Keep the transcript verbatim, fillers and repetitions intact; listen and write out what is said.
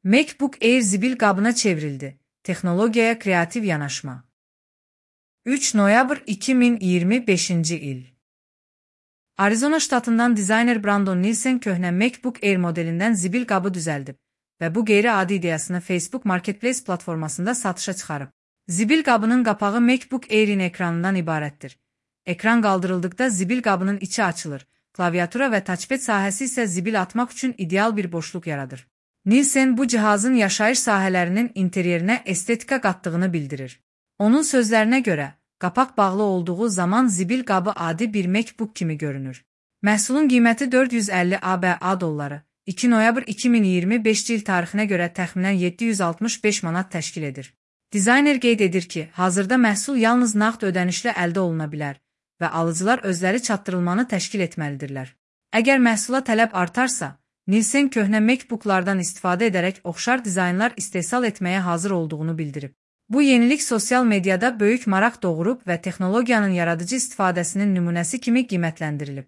MacBook Air zibil qabına çevrildi. Texnologiyaya kreativ yanaşma. üç noyabr iki min iyirmi beşinci il. Arizona ştatından dizayner Brandon Nielsen köhnə MacBook Air modelindən zibil qabı düzəldib və bu qeyri-adi ideyasını Facebook Marketplace platformasında satışa çıxarıb. Zibil qabının qapağı MacBook Air'in ekranından ibarətdir. Ekran qaldırıldıqda zibil qabının içi açılır. Klaviatura və touchpad sahəsi isə zibil atmaq üçün ideal bir boşluq yaradır. Nielsen bu cihazın yaşayış sahələrinin interyerinə estetika qatdığını bildirir. Onun sözlərinə görə, qapaq bağlı olduğu zaman zibil qabı adi bir MacBook kimi görünür. Məhsulun qiyməti dörd yüz əlli ABA dolları, iki noyabr iki min iyirmi beşinci il tarixinə görə təxminən yeddi yüz altmış beş manat təşkil edir. Dizayner qeyd edir ki, hazırda məhsul yalnız nağd ödənişlə əldə oluna bilər və alıcılar özləri çatdırılmanı təşkil etməlidirlər. Əgər məhsula tələb artarsa, Nielsen köhnə MacBooklardan istifadə edərək oxşar dizaynlar istehsal etməyə hazır olduğunu bildirib. Bu yenilik sosial mediada böyük maraq doğurub və texnologiyanın yaradıcı istifadəsinin nümunəsi kimi qiymətləndirilib.